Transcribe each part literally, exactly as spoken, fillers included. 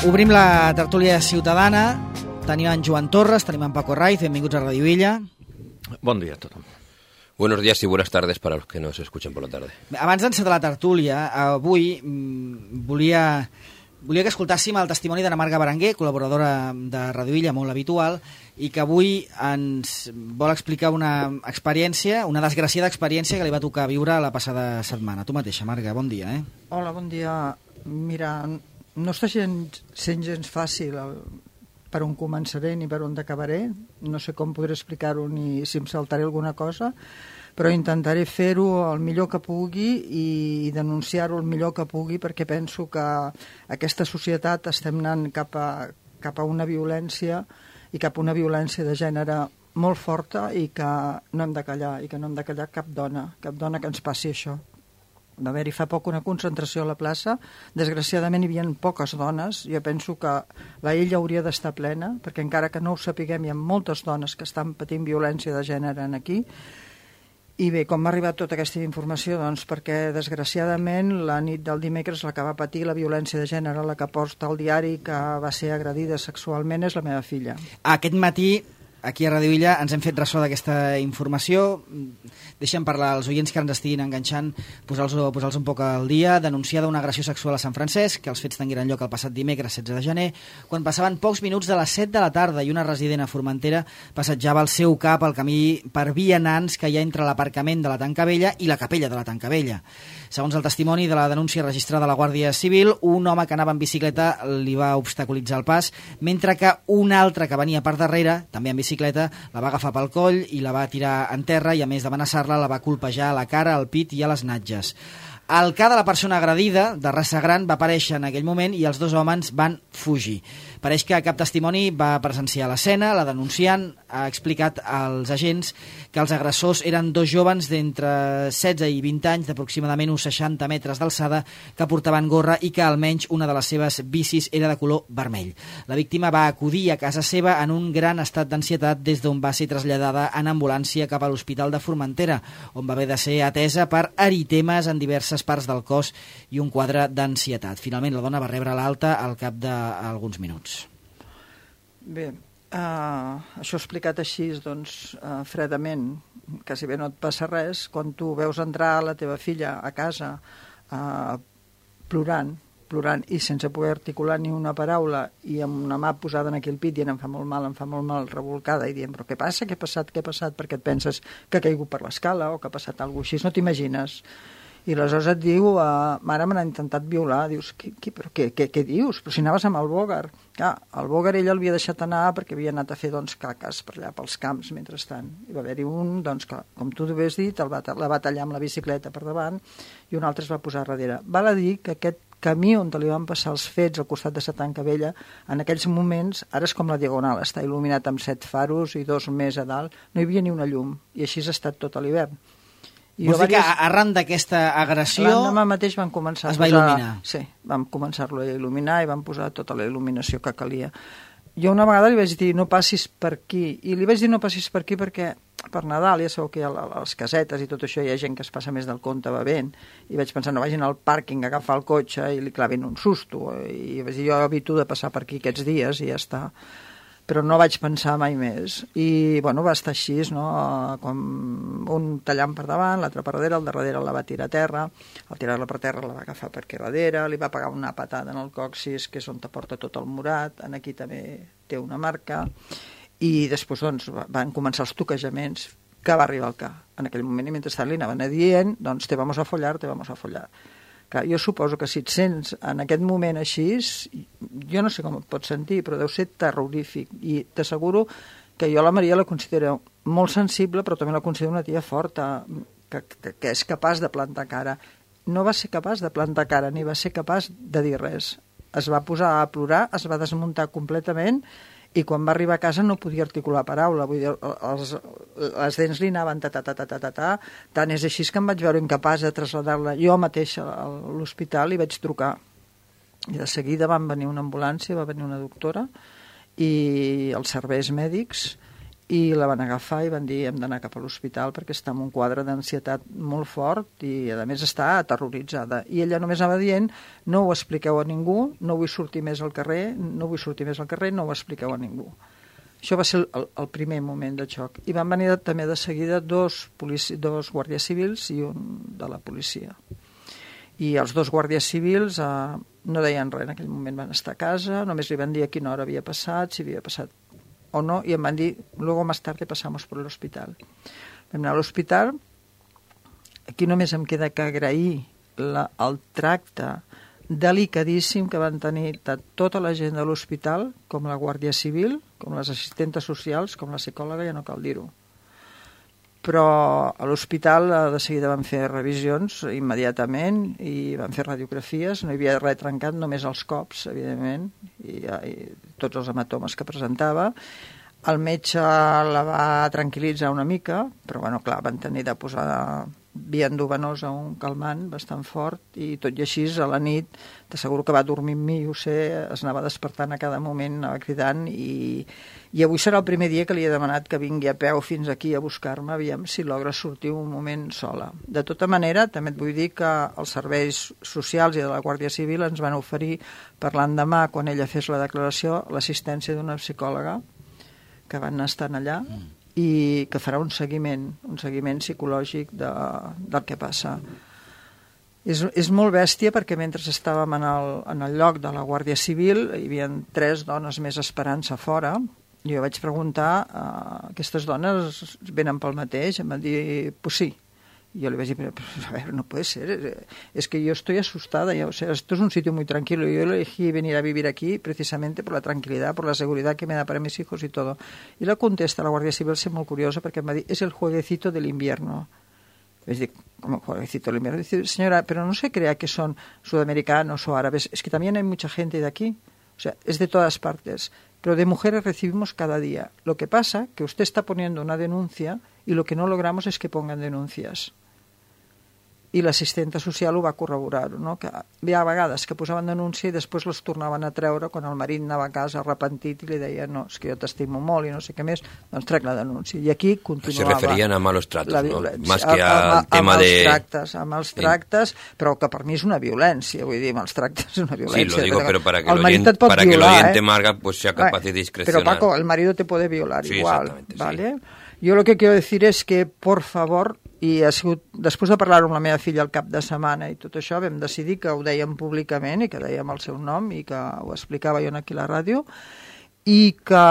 Obrim la tertúlia ciutadana. Tenim en Joan Torres, tenim en Paco Raiz. Benvinguts a Radio Illa. Bon dia a tothom. Buenos días y buenas tardes para los que nos escuchen por la tarde. Abans d'encetar la tertúlia, avui mmm, volia, volia que escoltàssim el testimoni d'Anna Marga Berenguer, col·laboradora de Radio Illa, molt habitual, i que avui ens vol explicar una experiència, una desgraciada experiència que li va tocar viure la passada setmana. Tu mateixa, Marga, bon dia. Eh? Hola, bon dia. Mira, no està gens, sent gens fàcil el, per on començaré ni per on acabaré. No sé com podré explicar-ho ni si em saltaré alguna cosa, però intentaré fer-ho el millor que pugui i denunciar-ho el millor que pugui, perquè penso que aquesta societat estem anant cap a, cap a una violència i cap a una violència de gènere molt forta i que no hem de callar, i que no hem de callar cap dona, cap dona que ens passi això. Va haver-hi fa poc una concentració a la plaça. Desgraciadament hi havia poques dones. Jo penso que la illa hauria d'estar plena, perquè encara que no ho sapiguem, hi ha moltes dones que estan patint violència de gènere aquí. I bé, com m'ha arribat tota aquesta informació? Doncs perquè, desgraciadament, la nit del dimecres la que va patir la violència de gènere, la que porta al diari que va ser agredida sexualment, és la meva filla. Aquest matí, aquí a Radio Illa, ens hem fet ressò d'aquesta informació. Deixem parlar als oients que ens estiguin enganxant, posar-los posar un poc al dia. Denunciada una agressió sexual a Sant Francesc, que els fets tingueren lloc el passat dimecres setze de gener, quan passaven pocs minuts de les set de la tarda i una resident a Formentera passejava el seu cap al camí per vianants que hi ha entre l'aparcament de la Tanca Vella i la capella de la Tanca Vella. Segons el testimoni de la denúncia registrada a la Guàrdia Civil, un home que anava en bicicleta li va obstaculitzar el pas, mentre que un altre que venia per darrere, també en bicicleta, la va agafar pel coll i la va tirar en terra i, a més d'amenaçar-la, la va colpejar a la cara, al pit i a les natges. El ca de la persona agredida, de raça gran, va aparèixer en aquell moment i els dos homes van fugir. Pareix que cap testimoni va presenciar l'escena. La denunciant ha explicat als agents que els agressors eren dos joves d'entre setze i vint anys, d'aproximadament uns seixanta metres d'alçada, que portaven gorra i que almenys una de les seves bicis era de color vermell. La víctima va acudir a casa seva en un gran estat d'ansietat, des d'on va ser traslladada en ambulància cap a l'Hospital de Formentera, on va haver de ser atesa per eritemes en diverses parts del cos i un quadre d'ansietat. Finalment, la dona va rebre l'alta al cap d'alguns minuts. Bé, uh, això explicat així, doncs, uh, fredament, quasi bé no et passa res, quan tu veus entrar la teva filla a casa uh, plorant, plorant i sense poder articular ni una paraula i amb una mà posada en aquell pit dient em fa molt mal, em fa molt mal, revolcada, i dient però què passa, què ha passat, què ha passat, perquè et penses que ha caigut per l'escala o que ha passat alguna cosa així, no t'imagines. I aleshores et diu, uh, mare, me n'ha intentat violar. Dius, qui, qui, però què, què, què dius? Però si anaves amb el Bògar. Clar, el Bògar ella l'havia deixat anar perquè havia anat a fer doncs, caques per allà pels camps mentrestant. I va haver-hi un, doncs, que, com tu havies dit, el va, la va tallar amb la bicicleta per davant i un altre es va posar darrere. Val a dir que aquest camí on li van passar els fets al costat de sa Tanca Vella, en aquells moments, ara és com la Diagonal, està il·luminat amb set faros i dos més a dalt, no hi havia ni una llum, i així ha estat tot l'hivern. Vols dir que arran d'aquesta agressió l'endemà mateix van començar es va posar, il·luminar? Sí, vam començar-lo a il·luminar i van posar tota la il·luminació que calia. Jo una vegada li vaig dir no passis per aquí, i li vaig dir no passis per aquí perquè per Nadal ja sabeu que hi ha les casetes i tot això, hi ha gent que es passa més del compte bevent, i vaig pensar no vagin al pàrquing a agafar el cotxe i li clavin un susto, i vaig dir jo evito de passar per aquí aquests dies i ja està. Però no vaig pensar mai més. I, bueno, va estar així, no? Com un tallant per davant, l'altre per darrere, el de darrere la va tirar a terra, al tirar-la per terra la va agafar per aquí darrere, li va pegar una patada en el còccix, que és on te porta tot el morat, en aquí també té una marca, i després, doncs, van començar els toquejaments, que va arribar al ca. En aquell moment, i mentrestant li anaven dient, doncs, te vamos a follar, te vamos a follar. Clar, jo suposo que si et sents en aquest moment així, jo no sé com et pots sentir, però deu ser terrorífic. I t'asseguro que jo la Maria la considero molt sensible, però també la considero una tia forta, que, que, que és capaç de plantar cara. No va ser capaç de plantar cara, ni va ser capaç de dir res. Es va posar a plorar, es va desmuntar completament, i quan va arribar a casa no podia articular paraula, vull dir, els, les dents li anaven ta ta ta ta ta ta ta, tant és així que em vaig veure incapaç de traslladar-la jo mateixa a l'hospital i vaig trucar. I de seguida van venir una ambulància, va venir una doctora i els serveis mèdics i la van agafar i van dir hem d'anar cap a l'hospital perquè està en un quadre d'ansietat molt fort i a més està aterroritzada. I ella només anava dient no ho expliqueu a ningú, no vull sortir més al carrer, no vull sortir més al carrer, no ho expliqueu a ningú. Això va ser el, el primer moment de xoc. I van venir també de seguida dos, polici, dos guàrdies civils i un de la policia. I els dos guàrdies civils eh, no deien res, en aquell moment van estar a casa, només li van dir a quina hora havia passat, si havia passat o no, i em van dir, luego más tarde pasamos por el hospital. Vam anar a l'hospital, aquí només em queda que agrair la, el tracte delicadíssim que van tenir de tota la gent de l'hospital, com la Guàrdia Civil, com les assistentes socials, com la psicòloga, ja no cal dir-ho. Però a l'hospital de seguida van fer revisions immediatament i van fer radiografies, no hi havia res trencat, només els cops, evidentment, i, i tots els hematomes que presentava. El metge la va tranquil·litzar una mica, però bueno, clar, van tenir de posar via endovenosa un calmant bastant fort i tot i així a la nit t'asseguro que va dormir amb mi, ho sé, es anava despertant a cada moment, anava cridant i, i avui serà el primer dia que li he demanat que vingui a peu fins aquí a buscar-me, aviam si logra sortir un moment sola. De tota manera, també et vull dir que els serveis socials i de la Guàrdia Civil ens van oferir per l'endemà, quan ella fes la declaració, l'assistència d'una psicòloga que van estar allà i que farà un seguiment, un seguiment psicològic de, del que passa. És, és molt bèstia perquè mentre estàvem en el, en el lloc de la Guàrdia Civil hi havia tres dones més esperant-se fora i jo vaig preguntar uh, aquestes dones venen pel mateix? Em van dir, pues sí. Y yo le voy a decir, pero, a ver, no puede ser, es que yo estoy asustada, ya, o sea, esto es un sitio muy tranquilo, yo elegí venir a vivir aquí precisamente por la tranquilidad, por la seguridad que me da para mis hijos y todo. Y la contesta la Guardia Civil, es muy curioso, porque me dice, es el jueguecito del invierno. Es decir, como jueguecito del invierno. Dice, señora, pero no se crea que son sudamericanos o árabes, es que también hay mucha gente de aquí, o sea, es de todas partes, pero de mujeres recibimos cada día. Lo que pasa que usted está poniendo una denuncia y lo que no logramos es que pongan denuncias. I l'assistenta social ho va corroborar, no? Que hi ha vegades que posaven denúncia i després les tornaven a treure quan el marit anava a casa arrepentit i li deia no, és que jo t'estimo molt i no sé què més, doncs trec la denúncia. I aquí continuava... Se referien a malos tratos, ¿no? Más que al tema de... de... Tractes, a mals tractes, però que per mi és una violència, vull dir, mals tractes és una violència. Sí, lo digo, pero para que el l'oyente para violar, que l'oyente eh? Marga pues sea capaz de discrecionar. Pero Paco, el marido te puede violar sí, igual, ¿vale? Sí. Yo lo que quiero decir es que, por favor, i ha sigut, després de parlar amb la meva filla el cap de setmana i tot això, vam decidir que ho dèiem públicament i que dèiem el seu nom i que ho explicava jo aquí a la ràdio i que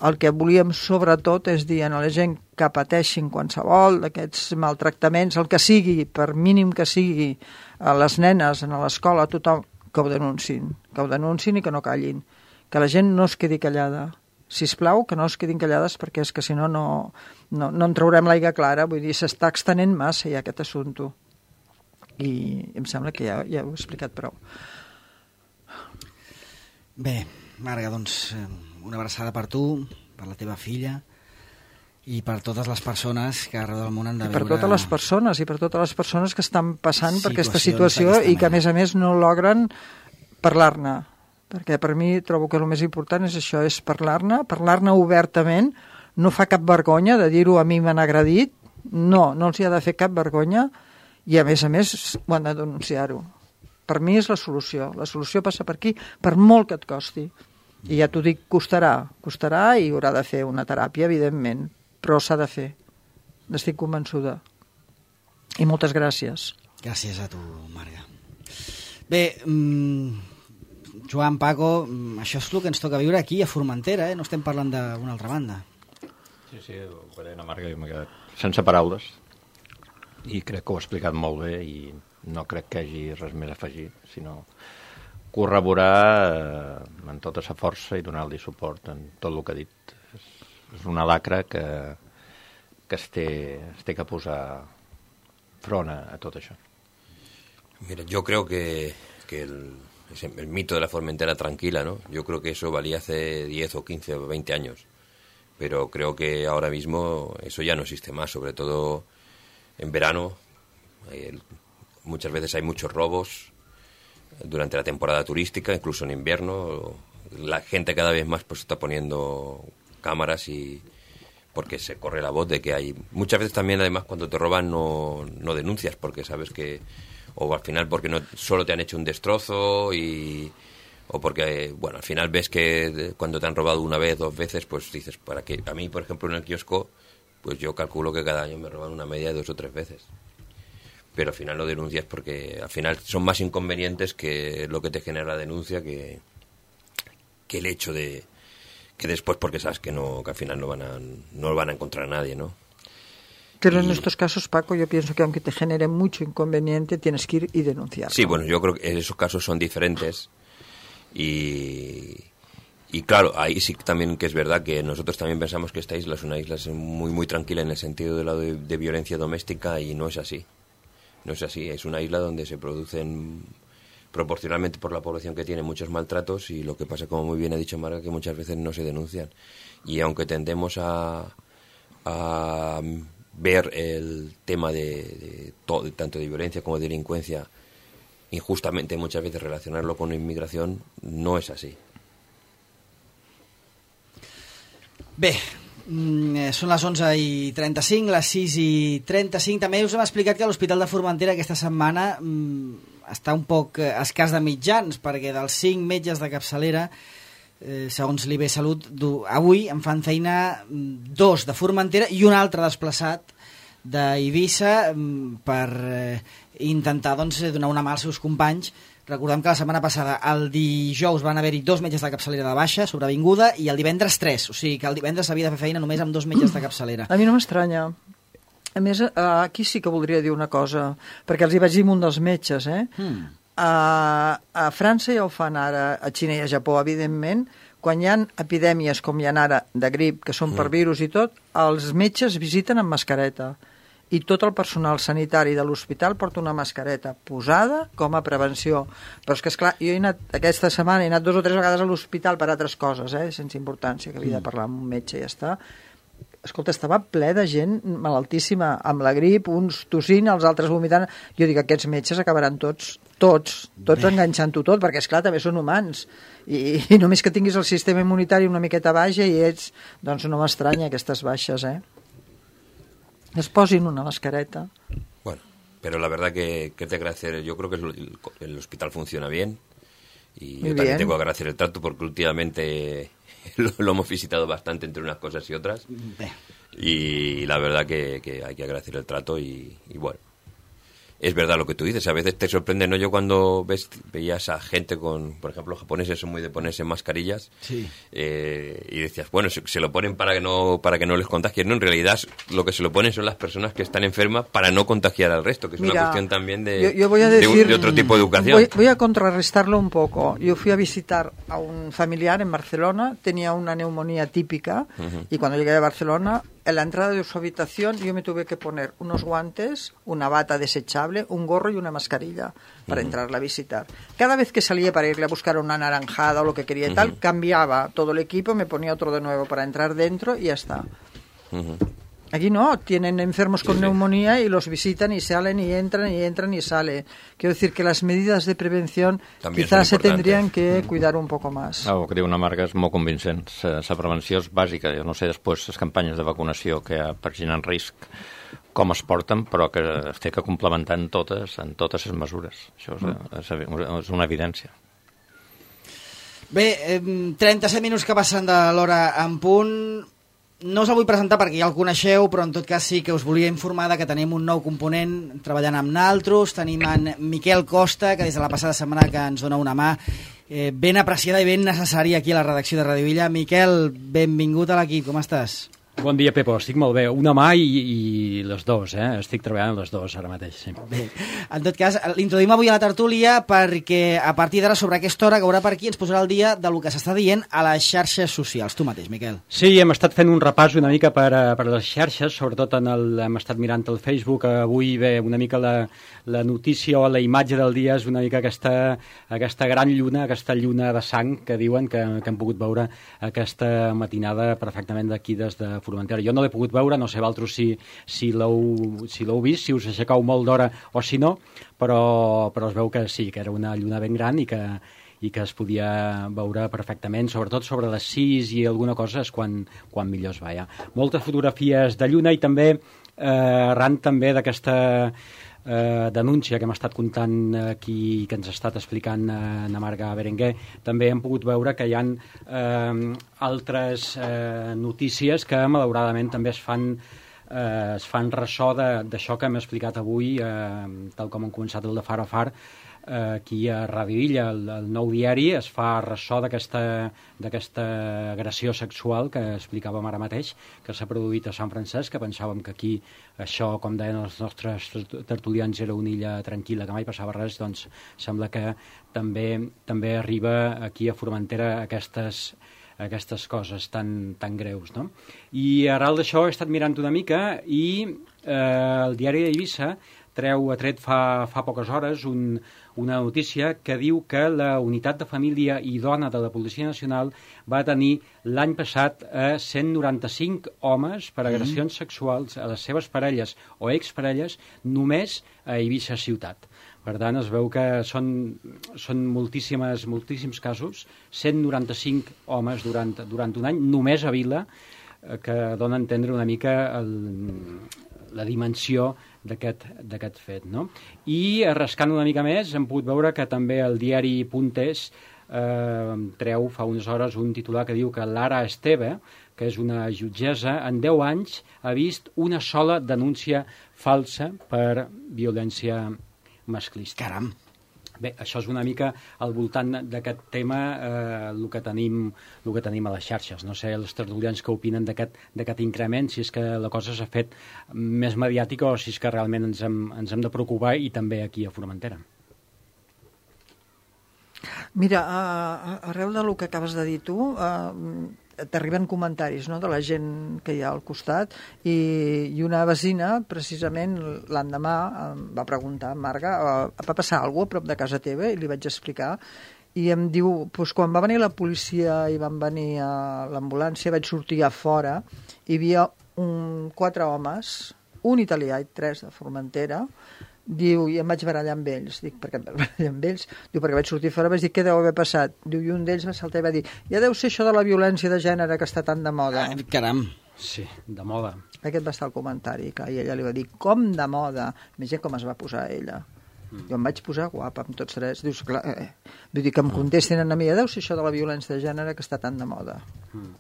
el que volíem sobretot és dir a la gent que pateixin qualsevol d'aquests maltractaments, el que sigui, per mínim que sigui, a les nenes, a l'escola, a tothom, que ho denuncin, que ho denuncin i que no callin, que la gent no es quedi callada. Sisplau, que no es quedin callades perquè és que si no, no, no, no en traurem l'aigua clara, vull dir, s'està extenent massa ja aquest assumpte. I em sembla que ja, ja ho he explicat prou. Bé, Marga, doncs una abraçada per tu, per la teva filla i per totes les persones que arreu del món han de I per veure... totes les persones, i per totes les persones que estan passant per aquesta situació i que a més a més no logren parlar-ne. Perquè per mi trobo que el més important és això, és parlar-ne, parlar-ne obertament, no fa cap vergonya de dir-ho a mi m'han agredit, no, no els hi ha de fer cap vergonya i a més a més ho han de denunciar-ho. Per mi és la solució, la solució passa per aquí, per molt que et costi. I ja t'ho dic, costarà, costarà i haurà de fer una teràpia, evidentment, però s'ha de fer, n'estic convençuda. I moltes gràcies. Gràcies a tu, Marga. Bé, mmm... Joan, Paco, això és el que ens toca viure aquí a Formentera, eh? No estem parlant d'una altra banda. Sí, sí, ho faré una Marga, jo m'he quedat sense paraules i crec que ho ha explicat molt bé i no crec que hi hagi res més a afegir, sinó corroborar eh, amb tota sa força i donar-li suport en tot el que ha dit. És, és una lacra que, que es, té, es té que posar front a, a tot això. Mira, yo creo que, que el... el mito de la Formentera tranquila, ¿no? Yo creo que eso valía hace diez o quince o veinte años, pero creo que ahora mismo eso ya no existe más, sobre todo en verano. Hay, muchas veces hay muchos robos durante la temporada turística, incluso en invierno. La gente cada vez más pues está poniendo cámaras y, porque se corre la voz de que hay... Muchas veces también, además, cuando te roban no, no denuncias, porque sabes que... O al final porque no solo te han hecho un destrozo y... O porque, bueno, al final ves que cuando te han robado una vez, dos veces, pues dices, ¿para qué? A mí, por ejemplo, en el kiosco, pues yo calculo que cada año me roban una media de dos o tres veces. Pero al final lo denuncias porque al final son más inconvenientes que lo que te genera la denuncia que, que el hecho de... que después porque sabes que no que al final no van a no van a encontrar a nadie, ¿no? Pero y... en estos casos, Paco, yo pienso que aunque te genere mucho inconveniente, tienes que ir y denunciar. Sí, bueno, yo creo que esos casos son diferentes y, y claro, ahí sí también que es verdad que nosotros también pensamos que esta isla es una isla muy muy tranquila en el sentido de la de, de violencia doméstica y no es así. No es así, es una isla donde se producen proporcionalmente por la población que tiene muchos maltratos y lo que pasa, como muy bien ha dicho Marga, que muchas veces no se denuncian. Y aunque tendemos a, a ver el tema de, de todo, tanto de violencia como de delincuencia, injustamente muchas veces relacionarlo con inmigración, no es así. Bé, són les onze i trenta-cinc, les sis i trenta-cinc. També us hem explicat que l'Hospital de Formentera aquesta setmana mmm, està un poc escàs de mitjans, perquè dels cinc metges de capçalera, eh, segons l'I B Salut, avui en fan feina dos de Formentera i un altre desplaçat d'Eivissa per eh, intentar doncs, donar una mà als seus companys. Recordem que la setmana passada, el dijous, van haver-hi dos metges de capçalera de baixa, sobrevinguda, i el divendres tres. O sigui que el divendres s'havia de fer feina només amb dos metges de capçalera. A mi no m'estranya. A més, aquí sí que voldria dir una cosa, perquè els hi vaig dir amb un dels metges, eh? Mm. A, a França ja ho fan ara, a Xina i a Japó, evidentment, quan hi ha epidèmies com hi ha ara de grip, que són per virus i tot, els metges visiten amb mascareta. I tot el personal sanitari de l'hospital porta una mascareta posada com a prevenció. Però és que, esclar, jo he anat, aquesta setmana he anat dos o tres vegades a l'hospital per altres coses, eh, sense importància, que havia de parlar amb un metge i ja està. Escolta, estava ple de gent malaltíssima, amb la grip, uns tossint, els altres vomitant. Jo dic, aquests metges acabaran tots, tots, tots enganxant-ho tot, perquè, esclar, també són humans. I, I només que tinguis el sistema immunitari una miqueta baixa i ets... Doncs no m'estranya aquestes baixes, eh? Es posin una mascareta. Bueno, pero la verdad que, que te agradecer, yo creo que el, el hospital funciona bien y Muy yo también bien. Tengo que agradecer el trato porque últimamente lo, lo hemos visitado bastante entre unas cosas y otras y la verdad que, que hay que agradecer el trato y, y bueno, es verdad lo que tú dices, a veces te sorprende, ¿no? Yo cuando ves, veías a gente con, por ejemplo, los japoneses son muy de ponerse mascarillas, sí. eh, y decías, bueno, se, se lo ponen para que no para que no les contagien, ¿no? En realidad lo que se lo ponen son las personas que están enfermas para no contagiar al resto, que es Mira, una cuestión también de, yo, yo voy a decir, de, de otro tipo de educación. Voy, voy a contrarrestarlo un poco. Yo fui a visitar a un familiar en Barcelona, tenía una neumonía típica, uh-huh. y cuando llegué a Barcelona, en la entrada de su habitación yo me tuve que poner unos guantes, una bata desechable, un gorro y una mascarilla para uh-huh. entrarla a visitar. Cada vez que salía para irle a buscar una naranjada o lo que quería y uh-huh. tal, cambiaba todo el equipo, me ponía otro de nuevo para entrar dentro y ya está. Uh-huh. Aquí no, tienen enfermos con sí, neumonía sí. y los visitan y salen y entran y entran y salen. Quiero decir que las medidas de prevención También quizás se tendrían que cuidar un poco más. Ah, el que diu una Marga és molt convincent. La prevenció és bàsica. Jo no sé després les campanyes de vacunació que hi ha per gent en risc com es porten, però que es té que complementar en totes, en totes les mesures. Això és, mm. és una evidència. Bé, eh, trenta-set minuts que passen de l'hora en punt. No us el vull presentar perquè ja el coneixeu, però en tot cas sí que us volia informar que tenim un nou component treballant amb naltros. Tenim en Miquel Costa, que des de la passada setmana que ens dona una mà eh, ben apreciada i ben necessària aquí a la redacció de Radio Villa. Miquel, benvingut a l'equip, com estàs? Bon dia, Pepo, estic molt bé. Una mà i, i les dues, eh? Estic treballant les dues ara mateix. Sí. Bé, en tot cas, l'introduïm avui a la tertúlia perquè a partir d'ara, sobre aquesta hora, que haurà per aquí, ens posarà al dia del que s'està dient a les xarxes socials. Tu mateix, Miquel. Sí, hem estat fent un repàs una mica per, per les xarxes, sobretot en el, hem estat mirant el Facebook. Avui, bé, una mica la, la notícia o la imatge del dia és una mica aquesta, aquesta gran lluna, aquesta lluna de sang que diuen que, que hem pogut veure aquesta matinada perfectament d'aquí des de Formentera. Jo no l'he pogut veure, no sé vosaltres si, si l'heu si l'heu vist, si us aixecau molt d'hora o si no, però, però es veu que sí, que era una lluna ben gran i que, i que es podia veure perfectament, sobretot sobre les sis i alguna cosa és quan, quan millor es veia. Moltes fotografies de lluna i també eh, arran també d'aquesta eh, denúncia que hem estat contant aquí, que ens ha estat explicant eh, na Marga Berenguer, també hem pogut veure que hi ha eh, altres eh, notícies que malauradament també es fan eh, es fan ressò d'això que hem explicat avui, eh, tal com hem començat el de Far a Far, eh, aquí a Ràdio Illa, el, el nou diari, es fa ressò d'aquesta agressió sexual que explicàvem ara mateix, que s'ha produït a Sant Francesc, que pensàvem que aquí això, com deien els nostres tertulians, era una illa tranquil·la, que mai passava res, doncs sembla que també, també arriba aquí a Formentera aquestes aquestes coses tan, tan greus, no? I arrel d'això he estat mirant una mica i eh, el diari d'Eivissa treu, ha tret fa, fa poques hores un, una notícia que diu que la unitat de família i dona de la Policia Nacional va tenir l'any passat a cent noranta-cinc homes per agressions mm. sexuals a les seves parelles o exparelles només a Eivissa ciutat. Per tant, es veu que són, són moltíssimes, moltíssims casos, cent noranta-cinc homes durant, durant un any, només a Vila, eh, que dona a entendre una mica el, la dimensió d'aquest fet, no? I rascant una mica més, hem pogut veure que també el diari Puntes eh, treu fa unes hores un titular que diu que Lara Esteve, que és una jutgessa, en deu anys ha vist una sola denúncia falsa per violència masclista. Caram! Bé, això és una mica al voltant d'aquest tema eh, el, que tenim, el que tenim a les xarxes. No sé els tertulians que opinen d'aquest increment, si és que la cosa s'ha fet més mediàtica o si és que realment ens hem, ens hem de preocupar, i també aquí a Formentera. Mira, arreu del que acabes de dir tu, eh, t'arriben comentaris, no?, de la gent que hi ha al costat, i, i una vecina, precisament l'endemà, em va preguntar, Marga, va passar alguna cosa a prop de casa teva? I li vaig explicar, i em diu, doncs quan va venir la policia i van venir a l'ambulància, vaig sortir a fora, hi havia un, quatre homes, un italià i tres de Formentera. Diu, i em vaig barallar amb ells. Dic, per què em vaig barallar amb ells? Diu, perquè vaig sortir fora, vaig dir, què deu haver passat? Diu, i un d'ells va saltar i va dir, ja deu ser això de la violència de gènere que està tan de moda. Ah, caram! Sí, de moda. Aquest va estar el comentari, clar, i ella li va dir, com de moda? Imagina com es va posar ella. Mm. Jo em vaig posar guapa amb tots tres. Dius, clar, eh. Vull dir que em contestin a mi, ja deu ser això de la violència de gènere que està tan de moda. Mm.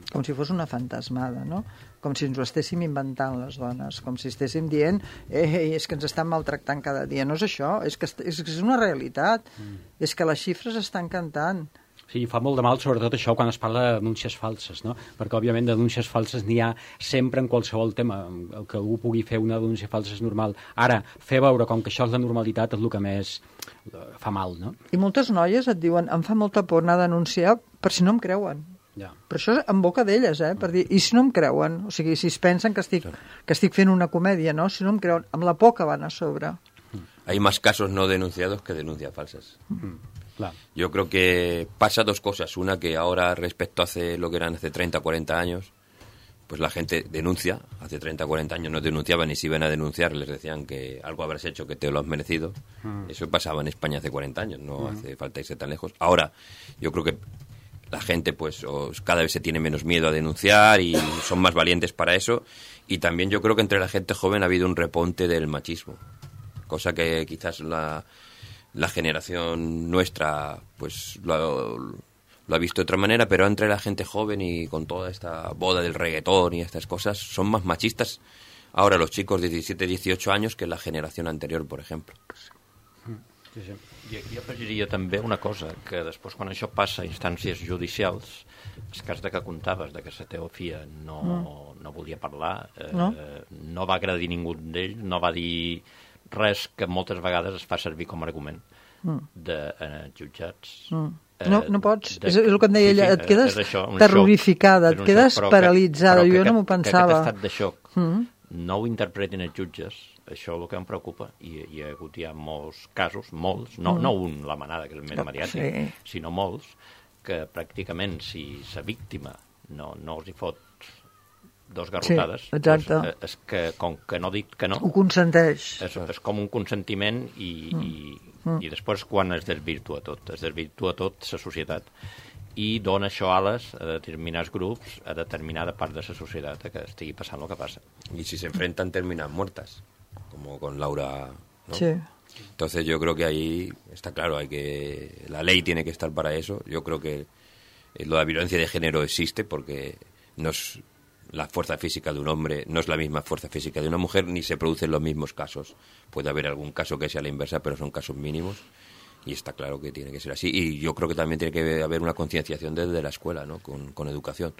Com si fos una fantasmada, no? Com si ens ho estéssim inventant les dones, com si estéssim dient eh, és que ens estan maltractant cada dia. No és això, és que és, és una realitat, mm. és que les xifres estan cantant. Sí, fa molt de mal, sobretot això, quan es parla de denúncies falses, no? Perquè, òbviament, de denúncies falses n'hi ha sempre en qualsevol tema. El que algú pugui fer una denúncia falsa és normal. Ara, fer veure com que això és la normalitat és el que més fa mal, no? I moltes noies et diuen, em fa molta por anar a denunciar per si no em creuen. Ja. Però això en boca d'elles, eh? Per dir, i si no em creuen? O sigui, si es pensen que estic, que estic fent una comèdia, no? Si no em creuen, amb la por que van a sobre. Hay más casos no denunciados que denuncias falsas. Mm, claro. Yo creo que pasa dos cosas. Una, que ahora respecto a hace lo que eran hace treinta, cuarenta años, pues la gente denuncia. Hace treinta, cuarenta años no denunciaban, y si iban a denunciar les decían que algo habrás hecho que te lo has merecido. Mm. Eso pasaba en España hace cuarenta años, no mm. hace falta irse tan lejos. Ahora, yo creo que la gente pues cada vez se tiene menos miedo a denunciar y son más valientes para eso, y también yo creo que entre la gente joven ha habido un reponte del machismo, cosa que quizás la, la generación nuestra pues lo, lo ha visto de otra manera, pero entre la gente joven y con toda esta boda del reggaetón y estas cosas son más machistas ahora los chicos de diecisiete, dieciocho años que la generación anterior, por ejemplo. Sí, sí. I aquí afegiria també una cosa, que després quan això passa a instàncies judicials, el cas de que contaves, de que la teva filla no, mm. no volia parlar, eh, no? no va agredir ningú d'ells, no va dir res que moltes vegades es fa servir com a argument mm. de eh, jutjats. Mm. Eh, no, no pots, de, és el que em deia ella, sí, sí, et quedes això, terrorificada, xoc, et quedes xoc, paralitzada, que, jo no m'ho pensava. Que aquest estat de xoc mm. no ho interpretin els jutges, això és el que em preocupa, i hi ha hagut ja molts casos, molts, no, mm. no un, la manada, que és el més mediàtic, sí. sinó molts, que pràcticament si la víctima no, no els hi fot dos garrotades, sí, exacte. Doncs, és que, com que no dic que no... Ho consenteix. És, és com un consentiment i, mm. i, mm. i després quan es desvirtua tot, es desvirtua tot la societat i dona això ales a determinats grups, a determinada part de la societat que estigui passant el que passa. Y si se enfrentan terminan muertas, como con Laura, ¿no? Sí. Entonces yo creo que ahí está claro, hay que la ley tiene que estar para eso. Yo creo que lo de la violencia de género existe porque no es la fuerza física de un hombre, no es la misma fuerza física de una mujer, ni se producen los mismos casos. Puede haber algún caso que sea la inversa, pero son casos mínimos y está claro que tiene que ser así. Y yo creo que también tiene que haber una concienciación desde la escuela, ¿no? Con, con educación,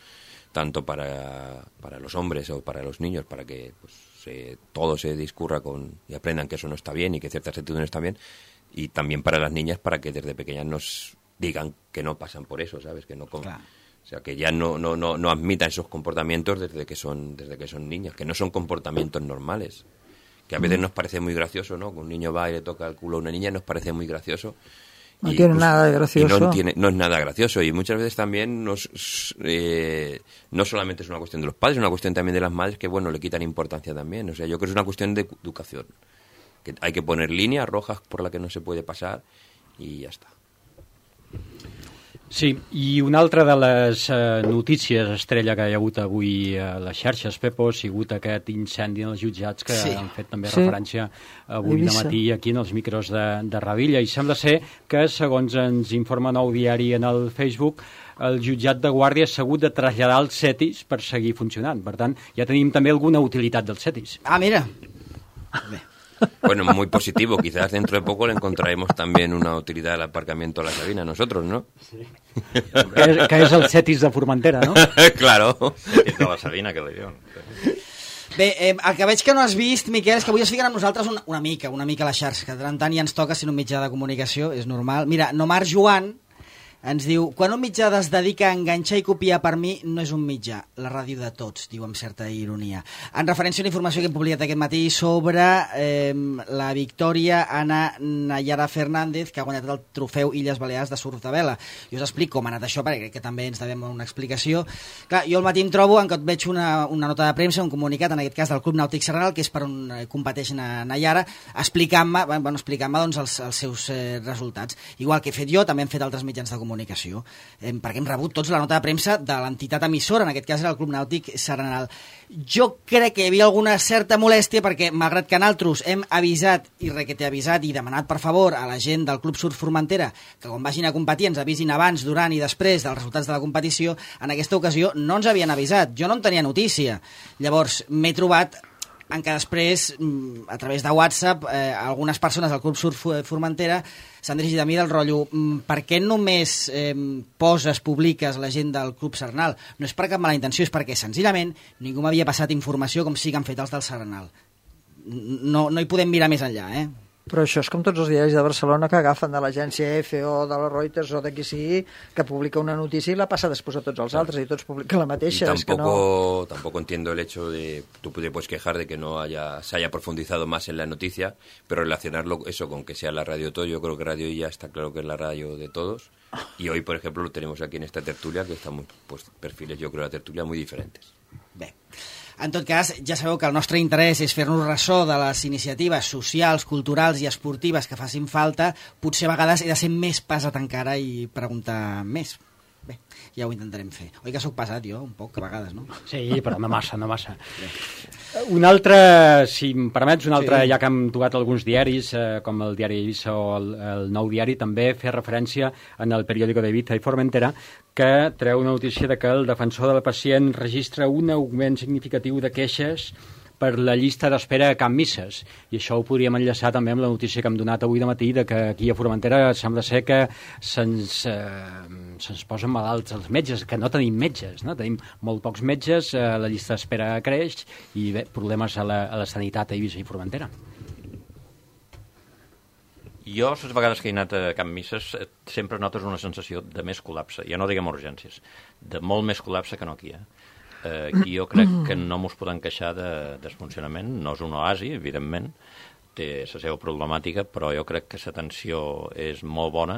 tanto para, para los hombres o para los niños, para que pues, se, todo se discurra con, y aprendan que eso no está bien y que ciertas actitudes no están bien, y también para las niñas para que desde pequeñas nos digan que no pasan por eso, ¿sabes? Que no, claro. O sea, que ya no, no, no, no admitan esos comportamientos desde que son desde que son niñas, que no son comportamientos normales, que a veces nos parece muy gracioso, ¿no? Que un niño va y le toca el culo a una niña, nos parece muy gracioso. No y, tiene pues, nada de gracioso. Y no, tiene, no es nada gracioso. Y muchas veces también nos, eh, no solamente es una cuestión de los padres, es una cuestión también de las madres que, bueno, le quitan importancia también. O sea, yo creo que es una cuestión de educación. Que hay que poner líneas rojas por las que no se puede pasar y ya está. Sí, i una altra de les eh, notícies estrella que hi ha hagut avui a les xarxes, Pepo, ha sigut aquest incendi en els jutjats que sí. han fet també sí. referència avui de matí aquí en els micros de, de Ravilla, i sembla ser que, segons ens informa Nou Diari en el Facebook, el jutjat de Guàrdia s'ha hagut de traslladar als CETIs per seguir funcionant. Per tant, ja tenim també alguna utilitat dels CETIs. Ah, mira! Bé. Bueno, muy positivo. Quizás dentro de poco le encontraremos también una utilidad al aparcamiento a la Sabina, nosotros, ¿no? Sí. que, és, que és el CETIS de Formentera, no? Claro. CETIS de la Sabina, que li diuen. Bé, eh, el que veig que no has vist, Miquel, és que avui es fiquen amb nosaltres una, una mica, una mica a la xarxa, que de tant en tant ja ens toca ser un mitjà de comunicació, és normal. Mira, Nomar Joan ens diu: quan un mitjà es dedica a enganxar i copiar, per mi no és un mitjà, la ràdio de tots, diu amb certa ironia. En referència a una informació que hem publicat aquest matí sobre eh, la Victòria Ana Nayara Fernández, que ha guanyat el trofeu Illes Balears de surf de vela. Jo us explico com ha anat això, perquè crec que també ens devem una explicació. Clar, jo al matí em trobo en què veig una, una nota de premsa, un comunicat, en aquest cas del Club Nàutic Serranal, que és per on competeix Nayara, explicant-me bueno, explicant-me doncs, els, els seus eh, resultats. Igual que he fet jo, també hem fet altres mitjans de comunicació. comunicació, eh, perquè hem rebut tots la nota de premsa de l'entitat emissora, en aquest cas era el Club Nàutic Serranal. Jo crec que hi havia alguna certa molèstia perquè, malgrat que nosaltres hem avisat i requete avisat i demanat per favor a la gent del Club Surf Formentera que quan vagin a competir ens avisin abans, durant i després dels resultats de la competició, en aquesta ocasió no ens havien avisat, jo no en tenia notícia. Llavors m'he trobat en què després, a través de WhatsApp, eh, algunes persones del Club Surf Formentera s'han dirigit a mi del rotllo: per què només eh, poses, publiques la gent del Club Serranal? No és per cap mala intenció, és perquè senzillament ningú m'havia passat informació com sí que han fet els del Serranal. No, no hi podem mirar més enllà, eh? Però això és com tots els diaris de Barcelona que agafen de l'agència E F o de la Reuters o de qui sigui, que publica una notícia i la passa després a tots els altres y tots publiquen la mateixa. Y tampoco, es que no... tampoco entiendo el hecho de, tú te puedes quejar de que no haya, se haya profundizado más en la noticia, pero relacionarlo eso con que sea la radio todo, yo creo que Radio ya está claro que es la radio de todos, y hoy, por ejemplo, lo tenemos aquí en esta tertulia, que estamos, pues, perfiles, yo creo, de la tertulia muy diferentes. Bé. En tot cas, ja sabeu que el nostre interès és fer-nos ressò de les iniciatives socials, culturals i esportives que facin falta. Potser a vegades he de ser més pesat encara i preguntar més. Bé, ja ho intentarem fer. Oi que sóc pesat jo, un poc, a vegades, no? Sí, però no massa, no massa. Bé. Un altre, si em permets, un altre, sí. Ja que hem tocat alguns diaris, eh, com el diari Eivissa o el, el Nou Diari, també fer referència en el periòdico d'Eivissa i Formentera, que treu una notícia de que el defensor del pacient registra un augment significatiu de queixes per la llista d'espera a Can Misses. I això ho podríem enllaçar també amb la notícia que hem donat avui de matí, de que aquí a Formentera sembla ser que se'ns eh, se'ns posen malalts els metges, que no tenim metges, no? Tenim molt pocs metges, eh, la llista d'espera creix i bé, problemes a la, a la sanitat a Eivissa i Formentera. Jo, les vegades que he anat a Can Misses, sempre notes una sensació de més col·lapse, ja no diguem urgències, de molt més col·lapse que no aquí, eh? Eh, aquí jo crec que no mos podem queixar de, de funcionament, no és un oasi, evidentment, té la seva problemàtica, però jo crec que l'atenció és molt bona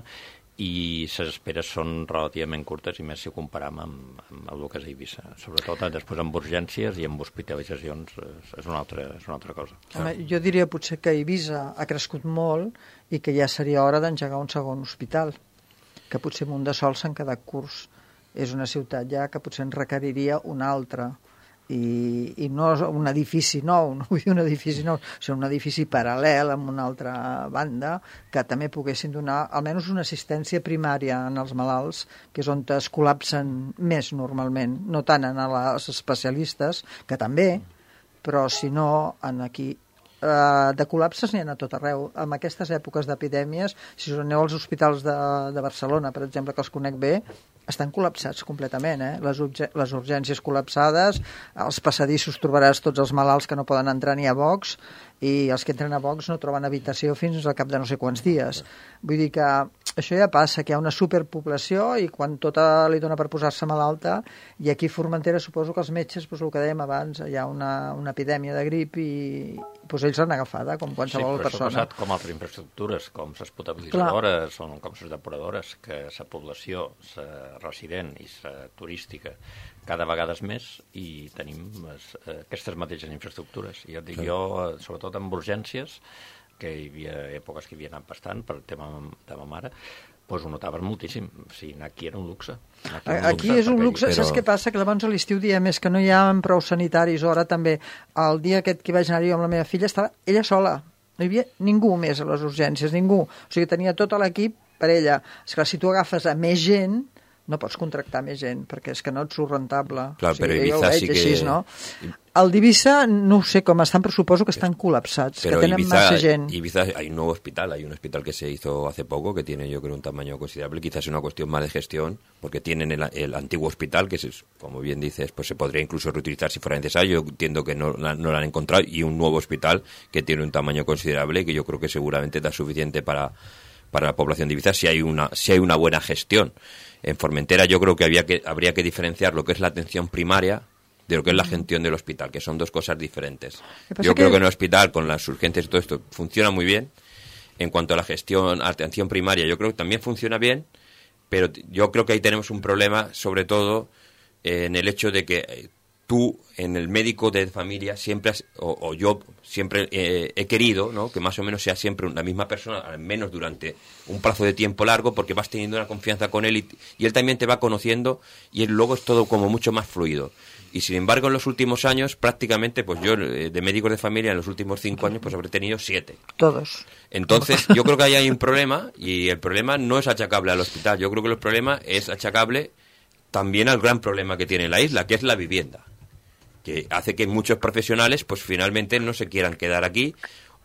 i les esperes són relativament curtes, i més si ho comparam amb, amb el que és a Eivissa. Sobretot després amb urgències i amb hospitalitzacions és una altra, és una altra cosa. Home, jo diria potser que Eivissa ha crescut molt i que ja seria hora d'engegar un segon hospital, que potser Munt de Sol s'han quedat curts. És una ciutat ja que potser en requeriria un altre. I, i no un edifici nou, no vull dir un edifici nou, sinó un edifici paral·lel amb una altra banda que també poguessin donar almenys una assistència primària en els malalts, que és on es col·lapsen més normalment, no tant en els especialistes, que també, però si no, en aquí Uh, de col·lapses n'hi ha a tot arreu. En aquestes èpoques d'epidèmies, si us aneu als hospitals de, de Barcelona, per exemple, que els conec bé, estan col·lapsats completament, eh? Les, urge les urgències col·lapsades, als passadissos trobaràs tots els malalts que no poden entrar ni a box, i els que entren a box no troben habitació fins al cap de no sé quants dies. Vull dir que això ja passa, que hi ha una superpoblació i quan tota li dona per posar-se malalta, i aquí a Formentera suposo que els metges, doncs el que dèiem abans, hi ha una, una epidèmia de grip i doncs ells l'han agafada, com qualsevol sí, persona. Sí, però com altres infraestructures, com les potabilitzadores, o com les depuradores, que la població, la resident i la turística, cada vegada és més, i tenim les, aquestes mateixes infraestructures. I jo dic, jo, sobretot amb urgències, que hi havia èpoques que hi havia anat bastant, per el tema de ma mare, doncs ho notaves moltíssim. O sigui, anar aquí era un luxe. Aquí, un aquí luxe, és un luxe. Però... Saps què passa? Que llavors a l'estiu diem és que no hi ha prou sanitaris, o ara també. El dia aquest que vaig anar-hi amb la meva filla estava ella sola. No hi havia ningú més a les urgències, ningú. O sigui, tenia tot l'equip per ella. És clar, si tu agafes a més gent, no pots contractar més gent, perquè és que no et surt rentable. Clar, o sigui, però Eivissa sí que... Així, no? El d'Eivissa no sé cómo están, pero supongo que están colapsados, pero que tienen Ibiza, más gente. Ibiza hay un nuevo hospital, hay un hospital que se hizo hace poco, que tiene yo creo un tamaño considerable, quizás es una cuestión más de gestión, porque tienen el, el antiguo hospital, que es, como bien dices, pues se podría incluso reutilizar si fuera necesario, yo entiendo que no, no lo han encontrado, y un nuevo hospital que tiene un tamaño considerable, que yo creo que seguramente da suficiente para, para la población de Ibiza si hay una, si hay una buena gestión. En Formentera yo creo que, había que habría que diferenciar lo que es la atención primaria de lo que es la gestión del hospital, que son dos cosas diferentes. Yo creo que en el hospital, con las urgencias y todo esto, funciona muy bien. En cuanto a la gestión, atención primaria, yo creo que también funciona bien, pero yo creo que ahí tenemos un problema, sobre todo, eh, en el hecho de que tú, en el médico de familia, siempre has, o, o yo siempre eh, he querido, ¿no?, que más o menos sea siempre la misma persona, al menos durante un plazo de tiempo largo, porque vas teniendo una confianza con él y, y él también te va conociendo, y él, luego es todo como mucho más fluido. Y sin embargo, en los últimos años, prácticamente, pues yo, de médicos de familia, en los últimos cinco años, pues habré tenido siete. Todos. Entonces, yo creo que ahí hay un problema, y el problema no es achacable al hospital. Yo creo que el problema es achacable también al gran problema que tiene la isla, que es la vivienda, que hace que muchos profesionales, pues finalmente no se quieran quedar aquí,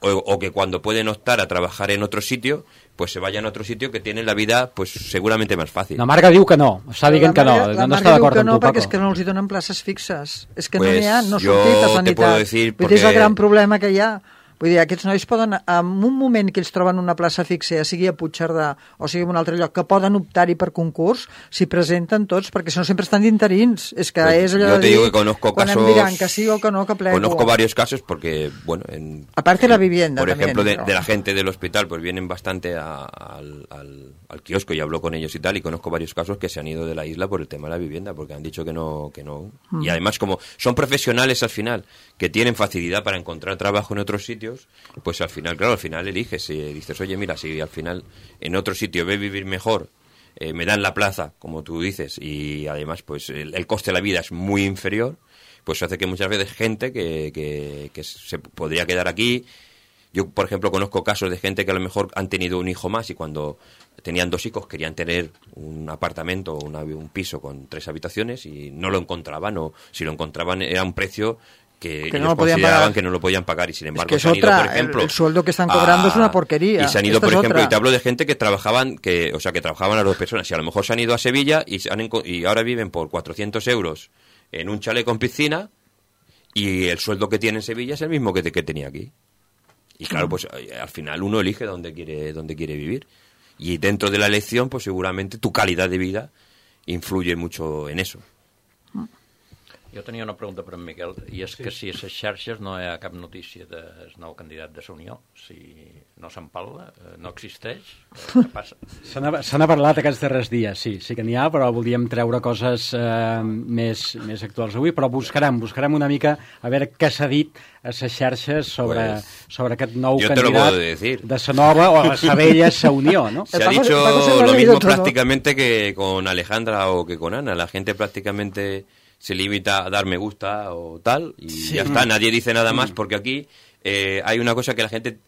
o, o que cuando pueden optar a trabajar en otro sitio, pues se vayan a otro sitio que tienen la vida, pues seguramente más fácil. La Marga diu que no, està dient que no, la no està d'acord amb no, tu, Paco. perquè és que no els hi donen places fixes, és que pues no n'hi ha, no yo sortit a te sanitat. puedo decir Vull dir, és el porque... gran problema que hi ha. Vull dir, aquests nois poden, en un moment que ells troben una plaça fixa, ja sigui a Puigcerdà o sigui en un altre lloc, que poden optar-hi per concurs, s'hi presenten tots, perquè si no sempre estan d'interins. És que pues és allò yo de te dir, digo que conozco quan casos, em diran que sí o que no, que plego. Conozco varios casos porque, bueno, en, aparte la vivienda por también, ejemplo, de, pero... de la gente del hospital, pues vienen bastante a, al, al, al kiosco y hablo con ellos y tal, y conozco varios casos que se han ido de la isla por el tema de la vivienda, porque han dicho que no, que no. Mm. Y además, como son profesionales al final, que tienen facilidad para encontrar trabajo en otros sitios, pues al final, claro, al final eliges y dices, oye, mira, si al final en otro sitio ve vivir mejor, eh, me dan la plaza, como tú dices, y además pues el, el coste de la vida es muy inferior, pues hace que muchas veces gente que, que, que se podría quedar aquí. Yo, por ejemplo, conozco casos de gente que a lo mejor han tenido un hijo más y cuando tenían dos hijos querían tener un apartamento o una, un piso con tres habitaciones y no lo encontraban, o si lo encontraban era un precio que, que ellos no lo podían consideraban pagar. Que no lo podían pagar, y sin embargo es que se han ido, otra, por ejemplo, el, el sueldo que están cobrando a, es una porquería. Y se han ido, Esta por ejemplo, otra. y te hablo de gente que trabajaban, que, o sea, que trabajaban las dos personas, y a lo mejor se han ido a Sevilla y, se han, y ahora viven por cuatrocientos euros en un chalet con piscina, y el sueldo que tiene en Sevilla es el mismo que, que tenía aquí. Y claro, pues al final uno elige dónde quiere, dónde quiere vivir. Y dentro de la elección, pues seguramente tu calidad de vida influye mucho en eso. Jo tenia una pregunta per en Miquel, i és sí. que si a les xarxes no hi ha cap notícia del nou candidat de la Unió, si no se'n parla, no existeix, què passa? Se n'ha parlat aquests darrers dies, sí, sí que n'hi ha, però volíem treure coses eh, més, més actuals avui, però buscarem, buscarem una mica a veure què s'ha dit a les xarxes sobre, pues, sobre aquest nou candidat de sa nova o la sa vella sa Unió, ¿no? Se ha dicho lo mismo prácticamente que con Alejandra o que con Ana. La gente prácticamente se limita a dar me gusta o tal, y sí. ya está, nadie dice nada más, porque aquí eh, hay una cosa que la gente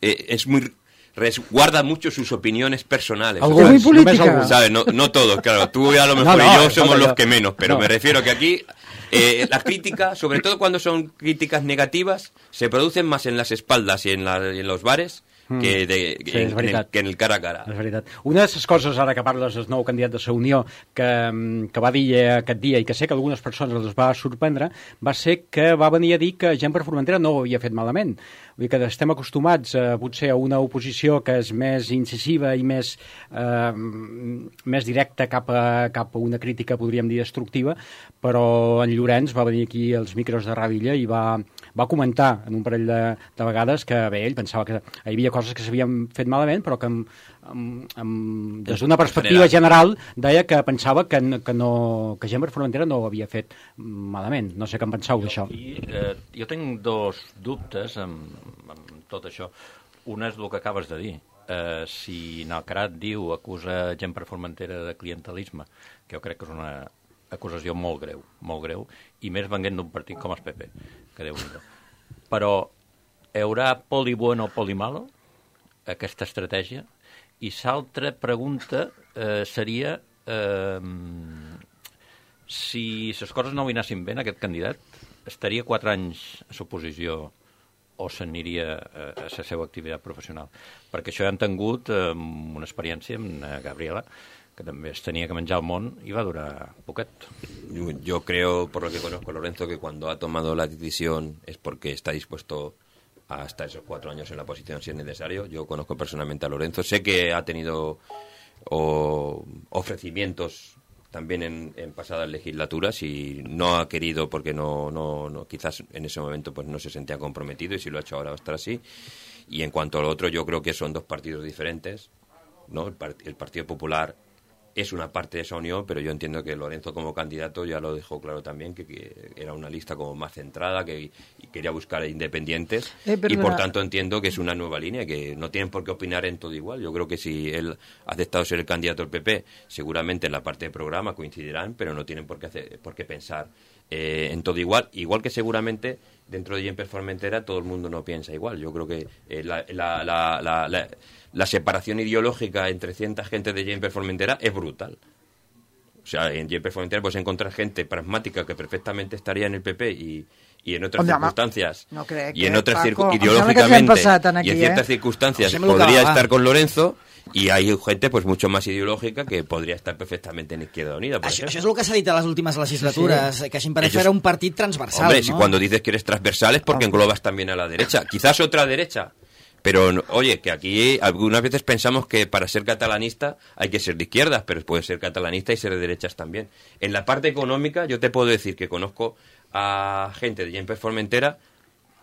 eh, es muy... resguarda mucho sus opiniones personales. ¿Es muy política? ¿Sabes? No, no todos, claro. Tú a lo mejor no, no, y yo somos no, los que menos, pero no. me refiero que aquí eh, las críticas, sobre todo cuando son críticas negativas, se producen más en las espaldas y en, la, y en los bares que, de, sí, en, en el, que en el cara a cara. És veritat. Una de les coses, ara que parles del nou candidat de la Unió, que, que va dir aquest dia, i que sé que algunes persones els va sorprendre, va ser que va venir a dir que Gent per Formentera no ho havia fet malament. Vull dir que estem acostumats eh, potser a una oposició que és més incisiva i més, eh, més directa cap a, cap a una crítica, podríem dir, destructiva, però en Llorenç va venir aquí als micros de Ràdio Illa i va, va comentar en un parell de, de vegades que bé, ell pensava que hi havia coses que s'havien fet malament, però que amb, amb, amb, des d'una perspectiva general deia que pensava que, que, no, que Gent per Formentera no ho havia fet malament. No sé què en penseu d'això. Eh, jo tinc dos dubtes amb, amb tot això. Un és el que acabes de dir. Eh, si Nalcarat diu, acusa Gent per Formentera de clientelisme, que jo crec que és una acusació molt greu, molt greu, i més venint d'un partit com el P P, que Déu-n'hi-do. Però hi haurà poli bueno o poli malo, aquesta estratègia? I l'altra pregunta eh, seria eh, si les coses no hi anessin bé en aquest candidat, estaria quatre anys a l'oposició o s'aniria a, a la seva activitat professional? Perquè això ja han tingut eh, una experiència amb Gabriela, que també es tenia que menjar el món i va durar poquet. Yo, yo creo, por lo que conozco a Lorenzo, que cuando ha tomado la decisión es porque está dispuesto hasta esos cuatro años en la posición si es necesario. Yo conozco personalmente a Lorenzo, sé que ha tenido o, ofrecimientos también en, en pasadas legislaturas y no ha querido porque no, no, no quizás en ese momento pues no se sentía comprometido, y si lo ha hecho ahora va a estar así. Y en cuanto al otro, yo creo que son dos partidos diferentes, ¿no? El, part, el Partido Popular es una parte de esa unión, pero yo entiendo que Lorenzo como candidato ya lo dejó claro también, que, que era una lista como más centrada, que y quería buscar independientes, eh, y por tanto entiendo que es una nueva línea, que no tienen por qué opinar en todo igual. Yo creo que si él ha aceptado ser el candidato del P P, seguramente en la parte de programa coincidirán, pero no tienen por qué, hacer, por qué pensar eh, en todo igual, igual que seguramente dentro de Gent per Formentera todo el mundo no piensa igual. Yo creo que eh, la, la, la, la, la la separación ideológica entre cierta gente de Gent per Formentera es brutal. O sea, en Gent per Formentera puedes encontrar gente pragmática que perfectamente estaría en el P P y, y en otras Oye, circunstancias no crec y en otras Paco, ideológicamente aquí, y en ciertas eh? circunstancias podría estar con Lorenzo, y hay gente pues mucho más ideológica que podría estar perfectamente en Izquierda Unida. Por això, això és el que s'ha dit a les últimes legislatures, sí. que Gent per Formentera era un partit transversal. Hombre, ¿no? Si cuando dices que eres transversal es porque englobas también a la derecha, quizás otra derecha. Pero, oye, que aquí algunas veces pensamos que para ser catalanista hay que ser de izquierdas, pero puede ser catalanista y ser de derechas también. En la parte económica, yo te puedo decir que conozco a gente de Gent per Formentera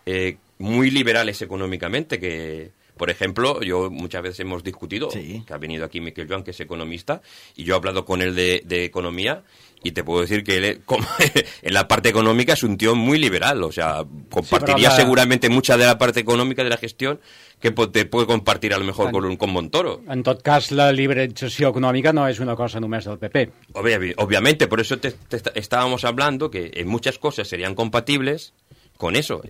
eh, muy liberales económicamente, que, por ejemplo, yo muchas veces hemos discutido, sí. que ha venido aquí Miquel Joan, que es economista, y yo he hablado con él de, de economía, y te puedo decir que él, como, en la parte económica es un tío muy liberal, o sea, compartiría sí, la... seguramente mucha de la parte económica de la gestión que te puede compartir a lo mejor en, con, con Montoro. En tot cas, la liberalització econòmica no és una cosa només del P P. Obvi- obviamente, por eso te, te estábamos hablando que en muchas cosas serían compatibles con eso.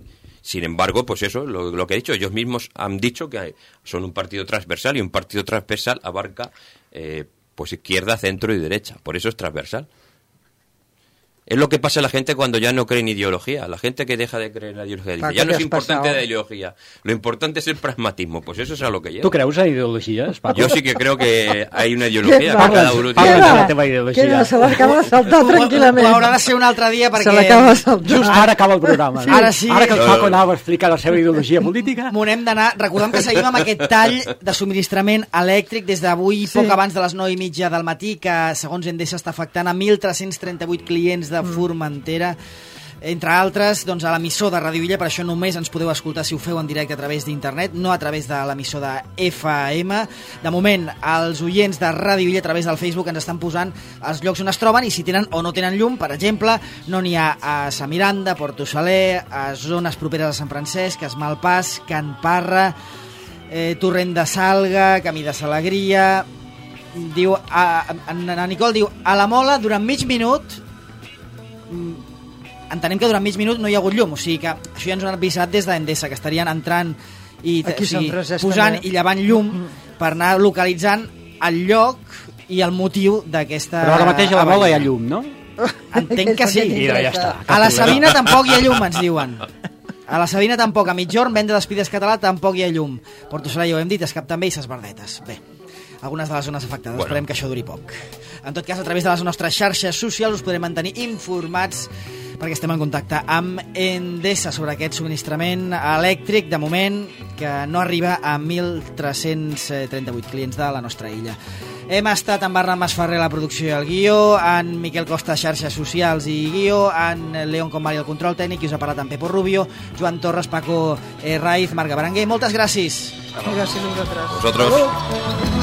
Sin embargo, pues eso, lo, lo que he dicho, ellos mismos han dicho que son un partido transversal, y un partido transversal abarca eh, pues izquierda, centro y derecha. Por eso es transversal. Es lo que pasa a la gente cuando ya no cree en ideología. La gente que deja de creer en la ideología dice, ya no es importante la ideología, lo importante es el pragmatismo. Pues eso es a lo que lleva. ¿Tú creus en ideologies, Paco? Yo sí que creo que hay una ideología. Que cada uno tiene la teva ideologia. Queda, se l'acaba de saltar tranquil·lament. Ho haurà de ser un altre dia perquè... Se l'acaba de saltar. Just ara acaba el programa. Sí. Ara sí. Ara que el Paco anava a explicar la seva ideologia política. M'ho n'hem d'anar. Recordem que seguim amb aquest tall de subministrament elèctric des d'avui, sí. poc abans de les nou i mitja del matí, que segons Endesa està afectant a mil tres-cents trenta-vuit clients de Formentera, entre altres, doncs, a l'emissor de Ràdio Illa. Per això només ens podeu escoltar si ho feu en directe a través d'internet, no a través de l'emissor de F M. De moment, els oients de Ràdio Illa a través del Facebook ens estan posant els llocs on es troben i si tenen o no tenen llum. Per exemple, no n'hi ha a Sa Miranda, Porto Saler, a zones properes a Sant Francesc, a Es Malpàs, Can Parra, eh, Torrent de Salga, Camí de Salegria. Diu, a, a, a Nicole diu, a la Mola durant mig minut entenem que durant mig minut no hi ha hagut llum, o sigui que això ja ens ho han avisat des d'Endesa, que estarien entrant i o sigui, posant també. I llevant llum per anar localitzant el lloc i el motiu d'aquesta... Però ara mateix a la Mola hi ha llum, no? Entenc que sí. I ja està. A la Sabina tampoc hi ha llum, ens diuen. A la Sabina tampoc, a mitjorn, venda d'Espides Català tampoc hi ha llum. Porto Saler ja ho hem dit, Escap també i Ses Verdetes. Bé, algunes de les zones afectades, bueno. Esperem que això duri poc. En tot cas, a través de les nostres xarxes socials us podrem mantenir informats perquè estem en contacte amb Endesa sobre aquest subministrament elèctric, de moment, que no arriba a mil tres-cents trenta-vuit clients de la nostra illa. Hem estat amb Bernat Masferrer a la producció i el guió, en Miquel Costa, xarxes socials i guió, en León Comari, el control tècnic, i us ha parlat en Pepo Rubio, Joan Torres, Paco eh, Raiz, Marga Berenguer. Moltes gràcies. Gràcies a vosaltres. Vosotros.